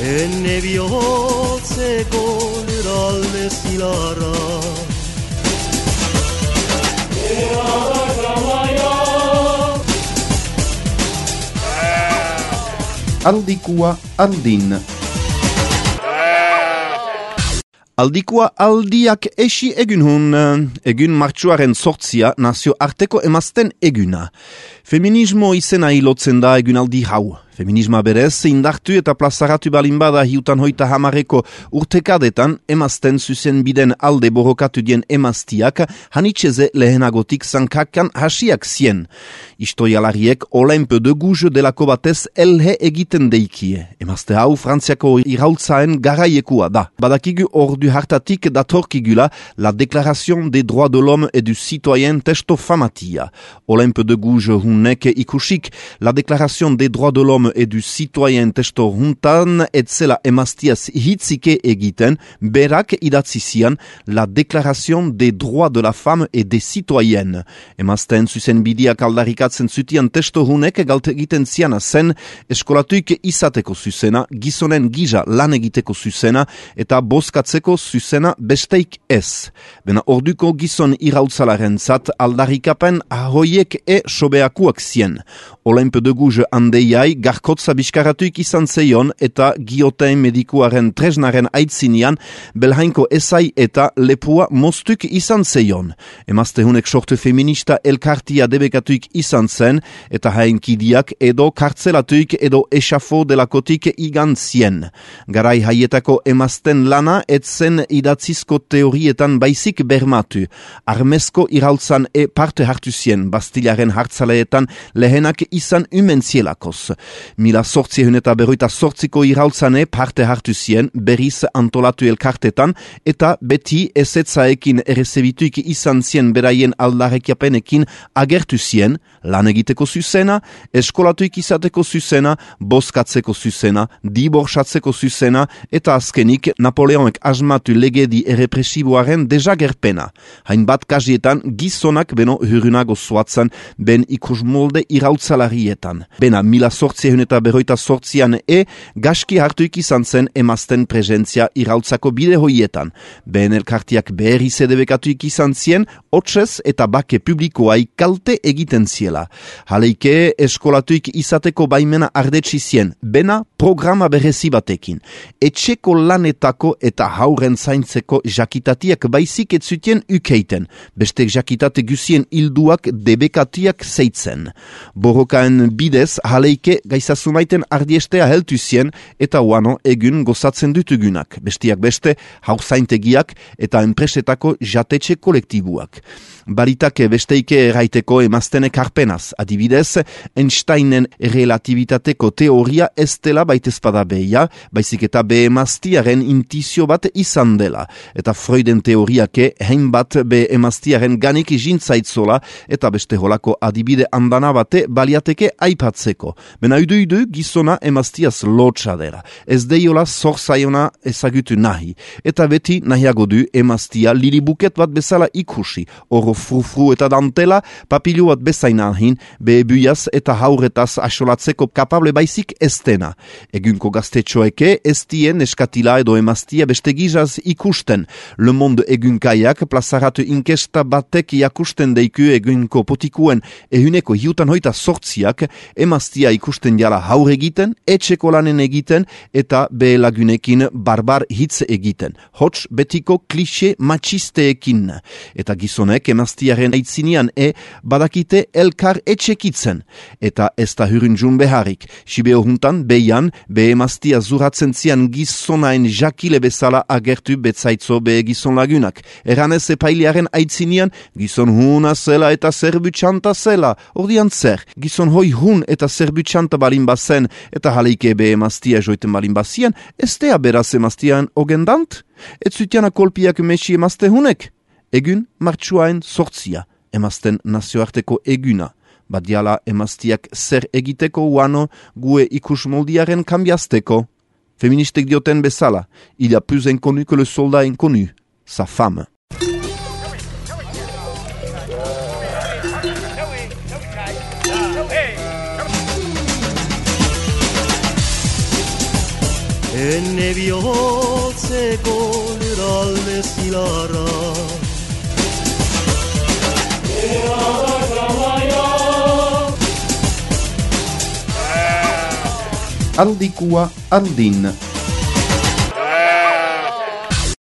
Enne bihotzeko lurralde zilarra Aldikua aldin. Aldikua aldiak esi egun egun martxuaren sortzia nazio arteko emazten eguna. Feminismo izena ilotzen da egun aldi hau. Feminisma berez, indartu eta plazaratu balin bada hiutan hoita hamareko urtekadetan emazten zuzen biden alde borrokatu dien emaztiak hanitxeze lehenagotik zankakan hasiak zien. Historialariek Olympe de Gouges delako batez elhe egiten deikie. Emazte hau Frantziako iraultzaen garaiekua da. Badakigu ordu hartatik datorkigula la Déclaration des droits de l'homme et du citoyen testo famatia. Olympe de Gouges hunnek ikusik la Déclaration des droits de l'homme et du citoyen testo huntan etzela emaztiaz hitzike egiten, berak idatzi zian la Déclaration des droits de la femme et des citoyennes. Emazten zuzen bidiak aldarikatzen zutian testo hunek galt egiten ziana zen eskolatuik izateko zuzena, gizonen gija lan egiteko zuzena eta bozkatzeko zuzena besteik ez. Bena orduko gizon irautzalaren zat aldarikapen ahoiek sobeakuak zien. Olympe de Gouges andeiai garkotza biskaratuik izan zeion eta giotein medikuaren tresnaren aitzinian belhainko esai eta lepua mostuk izan zeion. Emazte hunek sortu feminista elkartia debekatuik izan zen eta hainkidiak edo kartzelatuik edo esafo delakotik igan zien. Garai haietako emazten lana etzen idatzizko teorietan baizik bermatu. Armezko irautzan parte hartu zien Bastilaren hartzaleetan lehenak izan umentzielakoz. 1848ko irautzane parte hartu zien berriz antolatu elkartetan eta beti ezetzaekin errezebituik izan zien beraien aldarrekiapenekin agertu zien, lan egiteko zuzena, eskolatuik izateko zuzena, bozkatzeko zuzena, diborsatzeko zuzena eta azkenik Napoleonek asmatu legedi errepresiboaren dejagerpena. Hainbat kasietan gizonak beno hurrunago zoatzen ben ikusmolde irautzalarietan. Bena 1848an gaski hartuik izan zen emazten presentzia irautzako bide hoietan. Ben elkartiak berriz edebekatuik izan zien, hotzez eta bake publikoai kalte egiten ziela. Haleike eskolatuik izateko baimena ardetsi zien, bena programa berezi batekin. Etxeko lanetako eta hauren zaintzeko jakitatiak baizik etzutien ukeiten, bestek jakitate guzien hilduak debekatiak zeitzen. Borrokaen bidez haleike gaizasumaiten ardiestea heltu zien eta uano egun gozatzen dutugunak, bestiak beste haur zaintegiak eta enpresetako jatetxe kolektibuak. Baritake besteike erraiteko emaztenek harpenaz, adibidez, Einsteinen relativitateko teoria ez dela baitezpada behia, baizik eta be emaztiaren intizio bat izan dela, eta Freuden teoriake hainbat be emaztiaren ganik jintzaitzola eta beste holako adibide andana bate baliateke aipatzeko. Bena udu gizona emaztiaz lotsa dela, ez deiola zorzaiona ezagutu nahi, eta beti nahiago du emaztia lilibuket bat bezala ikusi, oro frufru eta dantela, papilu bat bezain ahin, bebuiaz eta hauretaz asolatzeko kapable baizik estena. Egunko gaztetxoeke ez dien eskatila edo emaztia beste gizaz ikusten. Le Monde egunkaiak plazaratu inkesta batek jakusten deiku egunko potikuen ehuneko hiutan hoita sortziak emaztia ikusten jala haur egiten, etxeko lanen egiten eta be lagunekin barbar hitz egiten. Hots betiko klixe machisteekin. Eta gizonek emaztiaren aitzinian badakite elkar etxekitzen. Eta ez da hurunjun beharik. Sibeo juntan beian be emaztia zuratzen zian gizonain jakile bezala agertu betzaitzo be gizon lagunak. Eranez epailearen aitzinian gizon huna zela eta zerbutxanta zela. Ordian zer, gizon hoi hun eta zerbutxanta balin bazen eta haleike be emaztia joiten balin bazien, ez dea beraz emaztian ogendant? Ez zutiana kolpiak mesi emazte hunek? Egun martxuaen sortzia, emazten nazioarteko eguna. Badiala emaztiak zer egiteko uano gue ikusmoldiaren kambiazteko. Feministek dioten bezala, il y a plus inconnu que le soldat inconnu, sa femme. enne bihotzeko lurralde zilarra. Aldikua aldin.